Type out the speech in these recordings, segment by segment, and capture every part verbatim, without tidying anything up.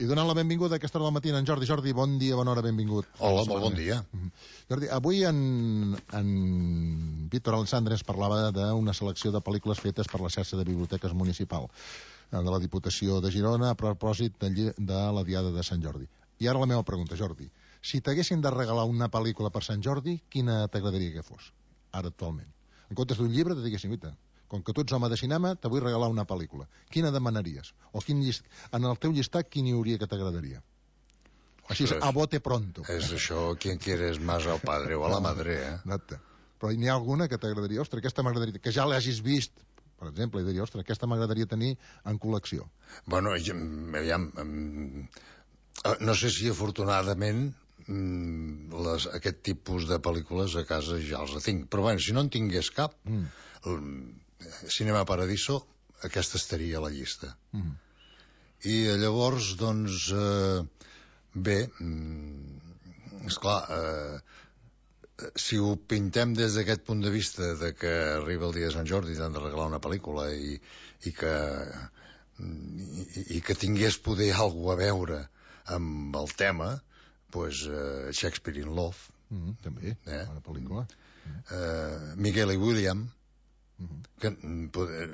donant la benvinguda a aquesta hora del matí en Jordi. Jordi, bon dia, bona hora, benvingut. Hola, molt bon dia. Jordi, avui en, en Víctor Alessandre ens parlava d'una selecció de pel·lícules fetes per la xarxa de biblioteques municipal de la Diputació de Girona a propòsit de, de la Diada de Sant Jordi. I ara la meva pregunta, Jordi. Si t'haguessin de regalar una pel·lícula per Sant Jordi, quina t'agradaria que fos? Ara, actualment. En comptes d'un llibre, te diguessin, guita, com que tu ets home de cinema, te vull regalar una pel·lícula. Quina demanaries? O quin llist... en el teu llistat, quin hi hauria que t'agradaria? Així és, a bote pronto. És això, quien quieres más al padre o a la madre, eh? Exacte. Però n'hi ha alguna que t'agradaria? Ostres, aquesta m'agradaria... Que ja l'hagis vist, per exemple, i diria, ostres, aquesta m'agradaria tenir en col·lecció. Bueno, aviam... No sé si afortunadament les, aquest tipus de pel·lícules a casa ja els tinc. Però bueno, si no en tingués cap... Mm. Cinema Paradiso, aquesta estaria a la llista. Mm. I llavors, doncs, eh, bé, esclar, eh, si ho pintem des d'aquest punt de vista de que arriba el dia de Sant Jordi i t'han de regalar una pel·lícula i, i que i, i que tingués poder alguna a veure amb el tema, doncs eh, Shakespeare in Love, mm, també, eh? Bona pel·lícula. Mm. eh, Miguel i William, que,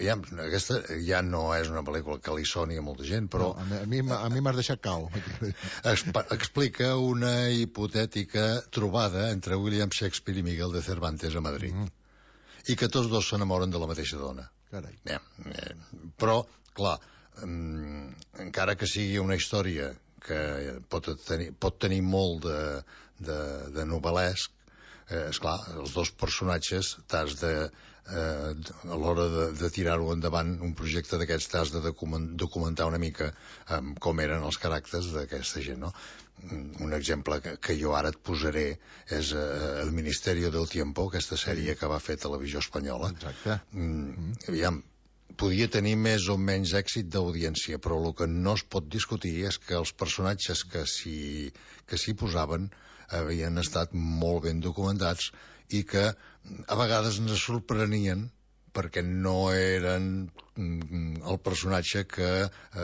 ja, aquesta ja no és una pel·lícula que li soni a molta gent, però no, a mi, a mi m'has deixat cau. Explica una hipotètica trobada entre William Shakespeare i Miguel de Cervantes a Madrid, mm. i que tots dos s'enamoren de la mateixa dona. Carai. Ja, eh, però, clar, um, encara que sigui una història que pot tenir, pot tenir molt de, de, de novel·lesc, eh, esclar, els dos personatges t'has de, eh, a l'hora de, de tirar-ho endavant, un projecte d'aquests t'has de documentar una mica eh, com eren els caràcters d'aquesta gent, no? Un exemple que, que jo ara et posaré és eh, El Ministerio del Tiempo, aquesta sèrie que va fer Televisió Espanyola. Exacte. Mm, aviam, podia tenir més o menys èxit d'audiència, però el que no es pot discutir és que els personatges que s'hi que s'hi posaven havien estat molt ben documentats i que a vegades ens sorprenien perquè no eren el personatge que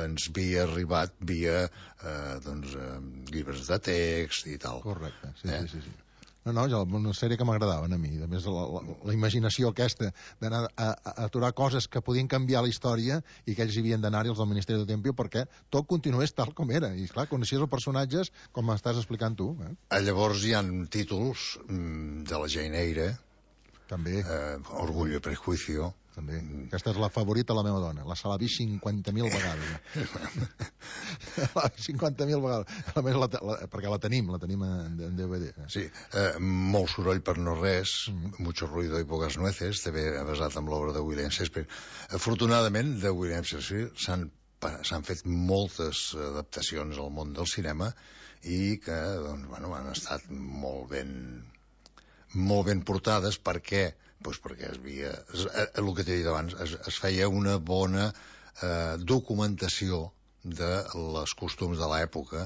ens havia arribat via eh, doncs, eh, llibres de text i tal. Correcte, sí, eh? sí, sí, sí. No, no, una sèrie que m'agradaven a mi. A més, la, la, la imaginació aquesta d'anar a, a, a aturar coses que podien canviar la història i que ells hi havien d'anar-hi, els del Ministeri del Tiempo, perquè tot continués tal com era. I, clar, coneixies els personatges com estàs explicant tu. Eh? Llavors hi ha títols mm, de la Jane Eyre, també. Eh, Orgullo i Prejuicio. També. Aquesta és la favorita de la meva dona. La se l'ha vist cinquanta mil vegades. cinquanta mil vegades. A més, la, la, perquè la tenim, la tenim en, en D V D. Sí, eh, molt soroll per no res, mm. mucho ruido y pocas nueces, també basat en l'obra de William Shakespeare. Afortunadament, de William Shakespeare s'han s'han fet moltes adaptacions al món del cinema i que, doncs, bueno, han estat molt ben molt ben portades. Per què? Pues perquè es havia, es, el que t'he dit abans, es, es feia una bona eh, documentació de les costums de l'època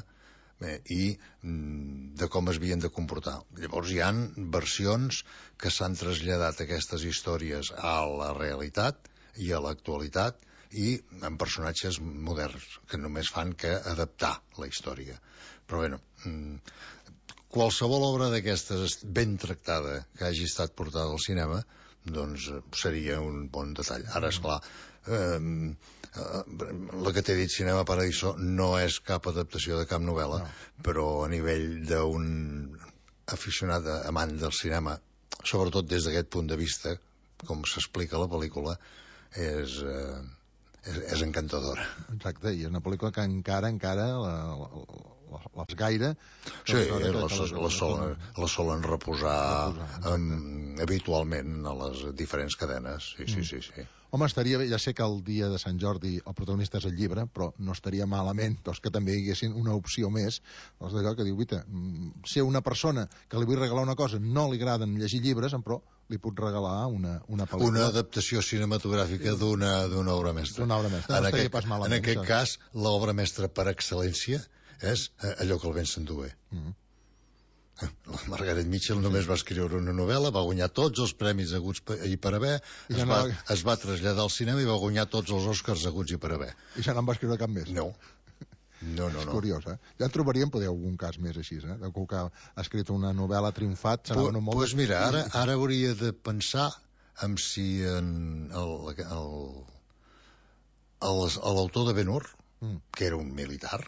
eh, i mm, de com es havien de comportar. Llavors hi han versions que s'han traslladat aquestes històries a la realitat i a l'actualitat i amb personatges moderns que només fan que adaptar la història. Però bueno, mm, qualsevol obra d'aquestes ben tractada que hagi estat portada al cinema, doncs seria un bon detall. Ara, esclar, eh, eh, la que t'he dit, Cinema Paradiso, no és cap adaptació de cap novel·la, no. Però a nivell d'un aficionat amant del cinema, sobretot des d'aquest punt de vista, com s'explica la pel·lícula, és... Eh, és, és encantadora. Exacte, i és una pel·lícula que encara, encara la, la, les gaire... Sí, la, la, la, solen, la solen reposar, reposar um, habitualment a les diferents cadenes. Sí, sí, mm. sí, sí. Home, estaria bé, ja sé que el dia de Sant Jordi el protagonista és el llibre, però no estaria malament doncs, que també hi haguessin una opció més, doncs d'allò que diu, guita, ser una persona que li vull regalar una cosa, no li agraden llegir llibres, però li puc regalar una, una pel·lícula. Una adaptació cinematogràfica d'una d'una obra mestra. D'una obra mestra, no en estaria aquest, pas malament. En aquest això. Cas, l'obra mestra per excel·lència és allò que el vent s'endué. Mm. La Margaret Mitchell només va escriure una novel·la, va guanyar tots els premis haguts i per haver, es, ja no... va, es va traslladar al cinema i va guanyar tots els Oscars haguts i per haver. I ja no en va escriure cap més? No. No, no, és no. curiós, eh? Ja en trobaríem, poder, algun cas més així, eh? Algú que ha escrit una novel·la, ha triomfat, se n'ha venut molt... Doncs mira, ara, ara hauria de pensar en si en l'autor de Ben-Hur, mm. que era un militar,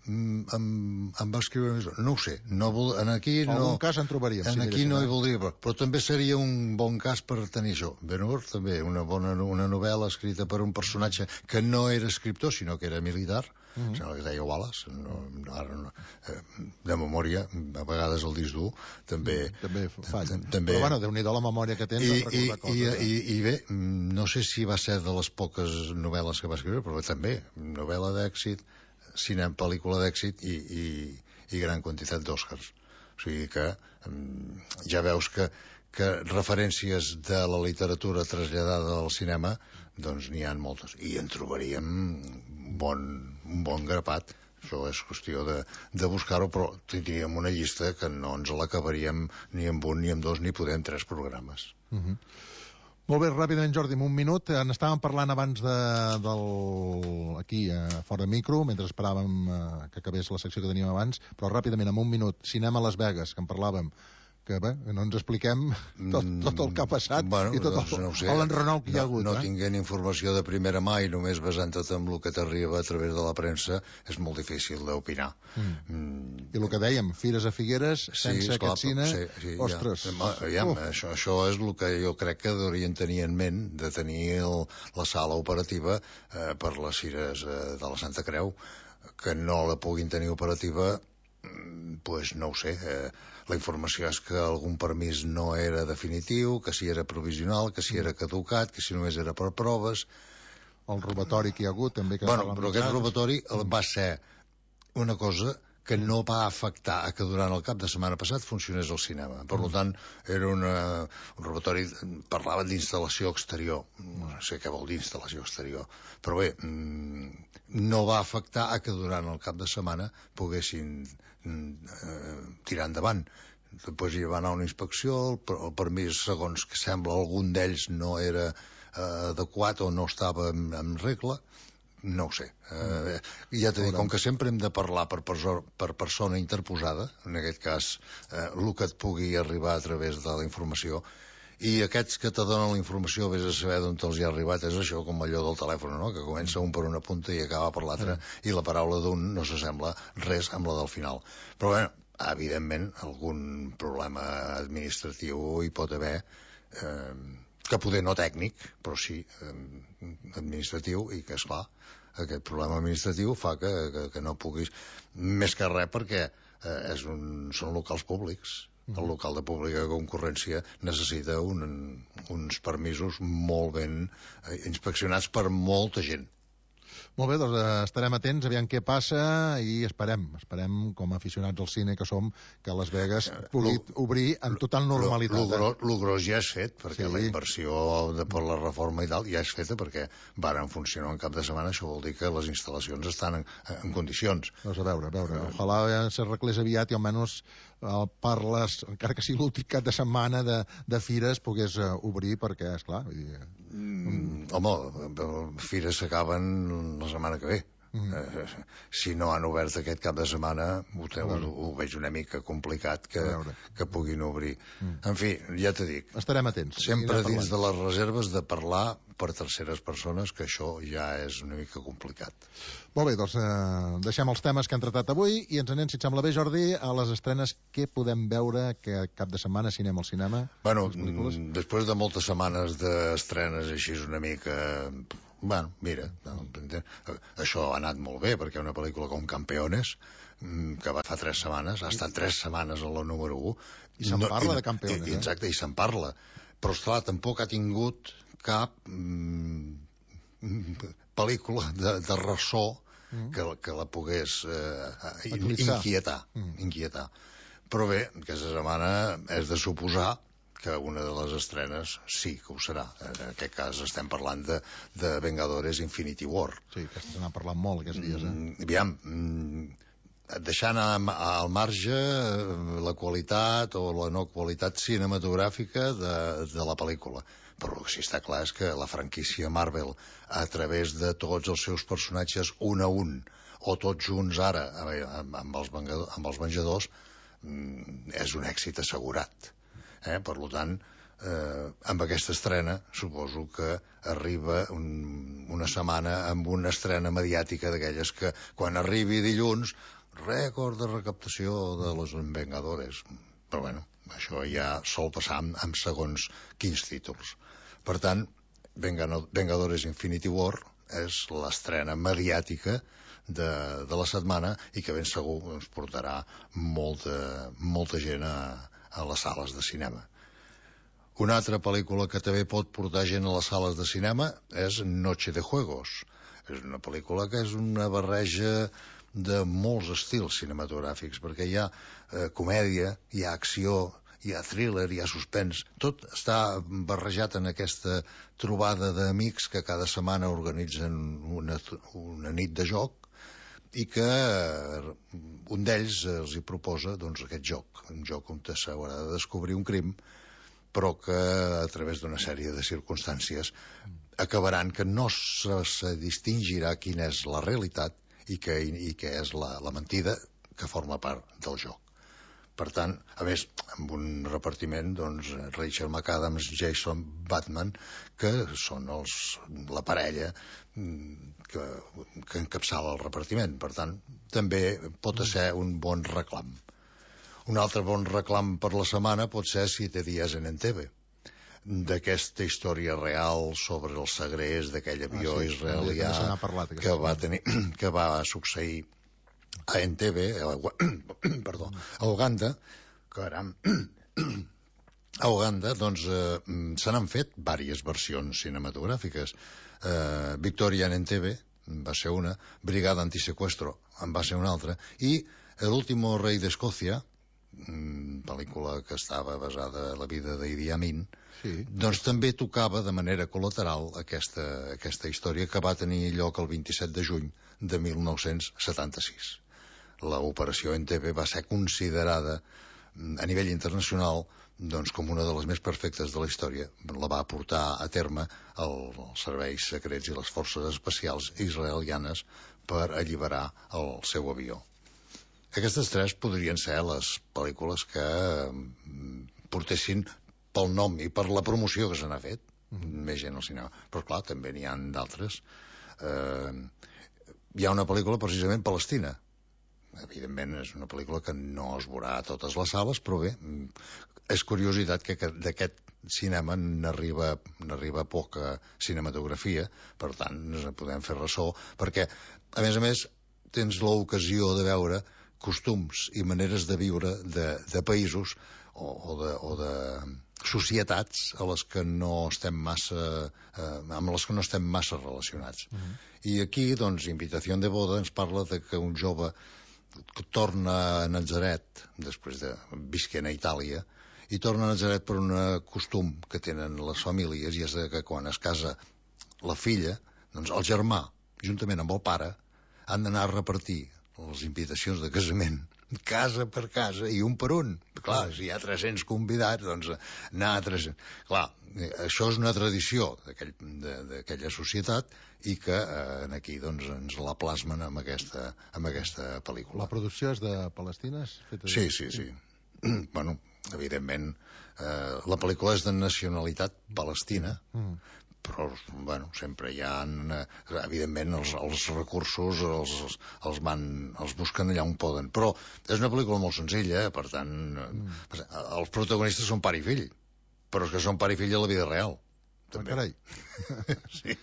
em, em va escriure més... No ho sé, no vol, en aquí no... Algun cas en trobaríem. En si aquí no hi eh? voldria, però, però també seria un bon cas per tenir això. Ben-Hur també, una bona una novel·la escrita per un personatge que no era escriptor, sinó que era militar, mm -hmm. sembla que es deia Wallace, no, no, ara no, eh, de memòria, a vegades el disc dur, també... Mm, també falla. També... Però bueno, Déu-n'hi-do la memòria que tens I, en recordar i, coses. I, eh? i, I bé, no sé si va ser de les poques novel·les que va escriure, però també, novel·la d'èxit, cinema, pel·lícula d'èxit i, i, i gran quantitat d'Oscars. O sigui que um, ja veus que, que referències de la literatura traslladada al cinema doncs n'hi ha moltes. I en trobaríem un bon, un bon grapat. Això és qüestió de, de buscar-ho, però tindríem una llista que no ens l'acabaríem ni amb un, ni amb dos, ni podem tres programes. Uh -huh. Molt bé, ràpidament, Jordi, en un minut. En estàvem parlant abans de, del, aquí, eh, fora de micro, mentre esperàvem eh, que acabés la secció que teníem abans, però ràpidament, en un minut, cinema a Las Vegas, que en parlàvem, que bé, no ens expliquem tot, tot el que ha passat bueno, i tot doncs, el, no sé, l'enrenou que hi ha hagut. No, no eh? tinguent informació de primera mà i només basant-te en el que t'arriba a través de la premsa, és molt difícil d'opinar. Mm. Mm. I el que dèiem, Fires a Figueres, sense sí, aquest cine, sí, sí, ostres. Ja, ja, això, això és el que jo crec que deurien tenir en ment, de tenir el, la sala operativa eh, per les Fires eh, de la Santa Creu, que no la puguin tenir operativa, pues no ho sé, eh, la informació és que algun permís no era definitiu, que si era provisional, que si era caducat, que si només era per proves. El robatori que hi ha hagut també. Que bueno, però aquest robatori mm. va ser una cosa que no va afectar a que durant el cap de setmana passat funcionés el cinema. Per mm. tant, era una, un robatori, parlava d'instal·lació exterior. No sé què vol dir instal·lació exterior. Però bé, mm, no va afectar a que durant el cap de setmana poguessin eh, tirar endavant. Després hi va anar una inspecció, el, el permís, segons que sembla, algun d'ells no era eh, adequat o no estava en, en regla. No ho sé. Eh, ja t'he dit, com que sempre hem de parlar per, perso per persona interposada, en aquest cas, eh, el que et pugui arribar a través de la informació, i aquests que te donen la informació, vés a saber d'on te'ls hi ha arribat, és això, com allò del telèfon, no?, que comença un per una punta i acaba per l'altra, mm. i la paraula d'un no s'assembla res amb la del final. Però, bé, evidentment, algun problema administratiu hi pot haver, eh, que poder no tècnic, però sí eh, administratiu, i que, esclar, aquest problema administratiu fa que, que, que no puguis... Més que res perquè eh, és un, són locals públics. El local de pública concurrència necessita un, uns permisos molt ben eh, inspeccionats per molta gent. Molt bé, doncs eh, estarem atents, aviam què passa, i esperem, esperem, com a aficionats al cine que som, que Las Vegas pugui obrir en total normalitat. El gros ja és fet, perquè sí. La inversió de, per la reforma i tal ja és feta, perquè varen funcionar un cap de setmana, això vol dir que les instal·lacions estan en, en condicions. Doncs a veure, a veure, ojalà s'arreglés aviat i almenys eh, per les, encara que sigui l'últim cap de setmana de, de fires, pogués uh, obrir, perquè, esclar... Vull dir, mm, home, fires s'acaben la setmana que ve. Mm. Eh, si no han obert aquest cap de setmana, ho, te, ho, ho veig una mica complicat que, que puguin obrir. Mm. En fi, ja t'he dit. Estarem atents. Sempre dins de les reserves de parlar per terceres persones, que això ja és una mica complicat. Molt bé, doncs eh, deixem els temes que hem tratat avui i ens anem, si et sembla bé, Jordi, a les estrenes que podem veure que cap de setmana cinema al cinema. Bueno, després de moltes setmanes d'estrenes així una mica... Bueno, mira, això ha anat molt bé, perquè una pel·lícula com Campeones, que va fa tres setmanes, ha estat tres setmanes a la número u. I se'n no, parla i, de Campeones, i, exacte, eh? I se'n parla. Però, esclar, tampoc ha tingut cap mm, pel·lícula de, de ressò mm. que, que la pogués eh, inquietar, mm. inquietar. Però bé, aquesta setmana és de suposar que una de les estrenes sí que ho serà. En aquest cas estem parlant de, de Vengadores Infinity War. Sí, aquesta se n'ha parlat molt aquests dies, eh? Mm, aviam, mm, deixant al marge la qualitat o la no qualitat cinematogràfica de, de la pel·lícula. Però el que sí està clar és que la franquícia Marvel, a través de tots els seus personatges un a un, o tots junts ara amb els, vengadors, amb els venjadors, és un èxit assegurat. Eh? Per tant, eh, amb aquesta estrena suposo que arriba un, una setmana amb una estrena mediàtica d'aquelles que quan arribi dilluns, rècord de recaptació de los Vengadores. Però bueno, això ja sol passar amb, amb segons quins títols. Per tant, Vengadores Infinity War és l'estrena mediàtica de, de la setmana i que ben segur ens portarà molta, molta gent a, a les sales de cinema. Una altra pel·lícula que també pot portar gent a les sales de cinema és Noche de Juegos. És una pel·lícula que és una barreja de molts estils cinematogràfics, perquè hi ha eh, comèdia, hi ha acció, hi ha thriller, hi ha suspens, tot està barrejat en aquesta trobada d'amics que cada setmana organitzen una, una nit de joc i que un d'ells els hi proposa doncs, aquest joc, un joc on s'haurà de descobrir un crim, però que a través d'una sèrie de circumstàncies acabaran que no se, se distingirà quina és la realitat i que, i que és la, la mentida que forma part del joc. Per tant, a més, amb un repartiment, doncs, Rachel McAdams, Jason Bateman, que són els, la parella que, que encapçala el repartiment. Per tant, també pot ser un bon reclam. Un altre bon reclam per la setmana pot ser Siete días en Entebbe, d'aquesta història real sobre el segrest d'aquell avió ah, sí, israelià parlat, que va tenir, que va succeir a Entebbe, a, perdó, a Uganda, caram, a Uganda, doncs, eh, se n'han fet diverses versions cinematogràfiques. Eh, Victoria en Entebbe va ser una, Brigada Antisecuestro en va ser una altra, i El último rei d'Escòcia, pel·lícula que estava basada en la vida d'Idi Amin, sí. Doncs també tocava de manera col·lateral aquesta, aquesta història que va tenir lloc el vint-i-set de juny de mil nou-cents setanta-sis. L'operació Entebbe va ser considerada a nivell internacional doncs, com una de les més perfectes de la història. La va portar a terme els serveis secrets i les forces especials israelianes per alliberar el seu avió. Aquestes tres podrien ser les pel·lícules que portessin pel nom i per la promoció que se n'ha fet més gent al cinema. Però clar, també n'hi ha d'altres. Eh, hi ha una pel·lícula precisament palestina. Evidentment és una pel·lícula que no es veurà a totes les sales, però bé, és curiositat que d'aquest cinema n'arriba n'arriba poca cinematografia, per tant ens en podem fer ressò, perquè a més a més tens l'ocasió de veure costums i maneres de viure de, de països o, o, de, o de societats a les que no estem massa eh, amb les que no estem massa relacionats. Uh-huh. I aquí, doncs, Invitació de boda ens parla de que un jove que torna a Natzaret després de visquent a Itàlia i torna a Natzaret per un costum que tenen les famílies, i és que quan es casa la filla, doncs el germà, juntament amb el pare, han d'anar a repartir les invitacions de casament casa per casa i un per un. Clar, si hi ha tres-cents convidats, doncs anar a tres-cents... Clar, això és una tradició d'aquella societat i que eh, aquí doncs, ens la plasmen amb aquesta, amb aquesta pel·lícula. La producció és de Palestines? Sí, sí, sí. Bueno, evidentment, eh, la pel·lícula és de nacionalitat palestina, mm. però, bueno, sempre hi ha, evidentment, els, els recursos els, els, van, els busquen allà on poden. Però és una pel·lícula molt senzilla, per tant, mm. els protagonistes són pare i fill, però és que són pare i fill a la vida real. També. Ah, carai. Sí.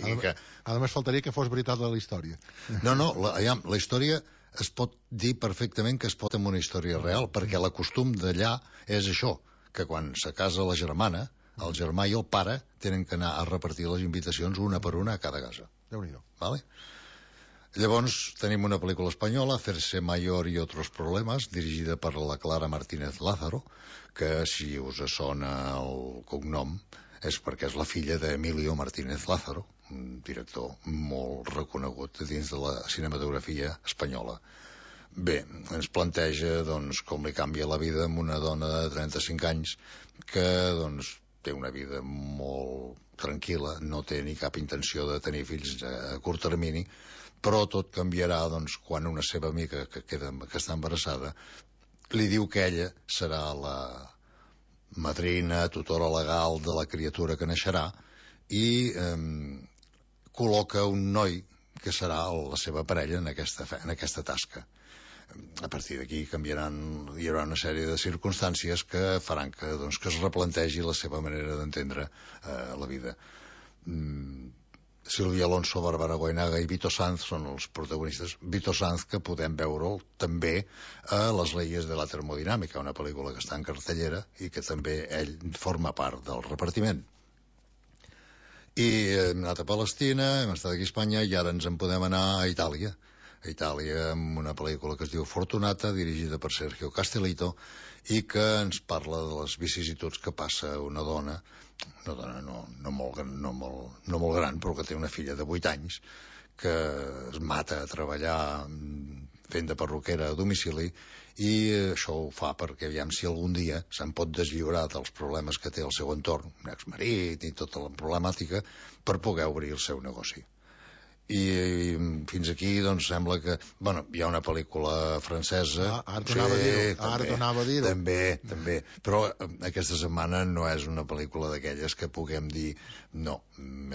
A, que... a més, faltaria que fos veritat la història. No, no, la, ja, la història es pot dir perfectament que es pot amb una història real, perquè la costum d'allà és això, que quan se casa la germana, el germà i el pare tenen que anar a repartir les invitacions una per una a cada casa. Déu-n'hi-do. Vale? Llavors tenim una pel·lícula espanyola, Hacerse mayor y otros problemas, dirigida per la Clara Martínez Lázaro, que si us sona el cognom és perquè és la filla d'Emilio Martínez Lázaro, un director molt reconegut dins de la cinematografia espanyola. Bé, ens planteja doncs, com li canvia la vida amb una dona de trenta-cinc anys que doncs, té una vida molt tranquil·la, no té ni cap intenció de tenir fills a curt termini, però tot canviarà doncs, quan una seva amiga que, queda, que està embarassada li diu que ella serà la madrina, tutora legal de la criatura que naixerà i eh, col·loca un noi que serà la seva parella en aquesta, en aquesta tasca. A partir d'aquí canviaran, hi haurà una sèrie de circumstàncies que faran que, doncs, que es replantegi la seva manera d'entendre eh, la vida. Mm, Sílvia Alonso, Bárbara Goenaga i Vito Sanz són els protagonistes. Vito Sanz, que podem veure'l també a Les leyes de la termodinàmica, una pel·lícula que està en cartellera i que també ell forma part del repartiment. I hem anat a Palestina, hem estat aquí a Espanya i ara ens en podem anar a Itàlia. A Itàlia amb una pel·lícula que es diu Fortunata, dirigida per Sergio Castellitto, i que ens parla de les vicissituds que passa una dona, una dona no, no, molt, no, molt, no molt gran, però que té una filla de vuit anys, que es mata a treballar fent de perruquera a domicili, i això ho fa perquè aviam si algun dia se'n pot deslliurar dels problemes que té el seu entorn, un exmarit i tota la problemàtica, per poder obrir el seu negoci. I, i fins aquí doncs sembla que bueno, hi ha una pel·lícula francesa ah, ara t'anava sí, a dir-ho ara t'anava a dir-ho també, també, però aquesta setmana no és una pel·lícula d'aquelles que puguem dir no,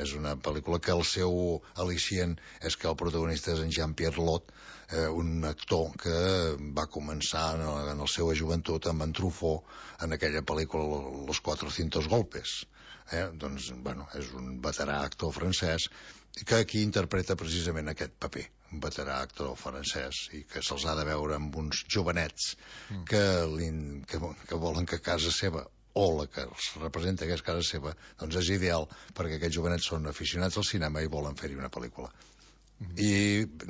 és una pel·lícula que el seu al·licient és que el protagonista és en Jean-Pierre Lot, eh, un actor que va començar en, en la seva joventut amb en Truffaut en aquella pel·lícula Los cuatrocientos golpes. Eh? Doncs, bueno, és un veterà actor francès que aquí interpreta precisament aquest paper, un veterà actor francès, i que se'ls ha de veure amb uns jovenets mm. que, que, que volen que casa seva o la que els representa que és casa seva, doncs és ideal perquè aquests jovenets són aficionats al cinema i volen fer-hi una pel·lícula. Mm. I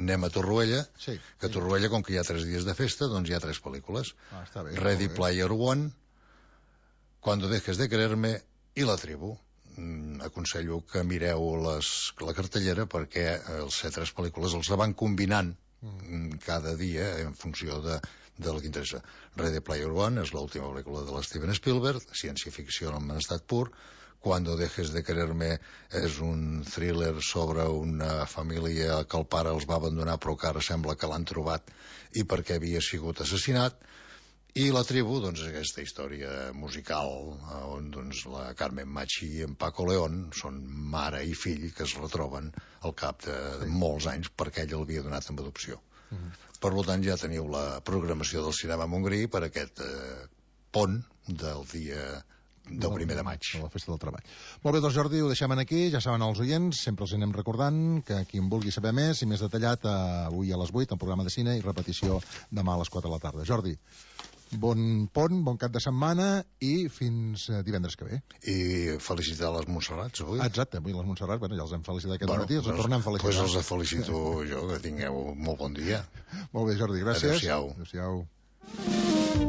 anem a Torroella, sí, que a Torroella, com que hi ha tres dies de festa, doncs hi ha tres pel·lícules. Ah, està bé, Ready Player One, Cuando dejes de quererme i La tribu. Aconsello que mireu les, la cartellera perquè els set tres pel·lícules els van combinant mm. cada dia en funció de, del que interessa. Ready Player One és l'última pel·lícula de l'Steven Spielberg, ciència-ficció en estat pur. Cuando dejes de quererme és un thriller sobre una família que el pare els va abandonar però que ara sembla que l'han trobat i perquè havia sigut assassinat. I La tribu, doncs, és aquesta història musical on doncs, la Carmen Machi i en Paco León són mare i fill que es retroben al cap de, de molts anys perquè ell l'havia donat en adopció. Uh -huh. Per tant, ja teniu la programació del cinema Montgrí per aquest eh, pont del dia del primer de maig. De la festa del treball. Molt bé, doncs Jordi, ho deixem aquí, ja saben els oients, sempre els anem recordant que qui en vulgui saber més i més detallat eh, avui a les vuit, el programa de cine i repetició demà a les quatre de la tarda. Jordi, bon pont, bon cap de setmana i fins divendres que ve. I felicitar les Montserrats avui. Exacte, avui les Montserrat, bueno, ja els hem felicitat aquest bueno, matí, els doncs, tornem a felicitar. Doncs pues els felicito jo, que tingueu molt bon dia. Molt bé, Jordi, gràcies. Adéu-siau. Adéu-siau.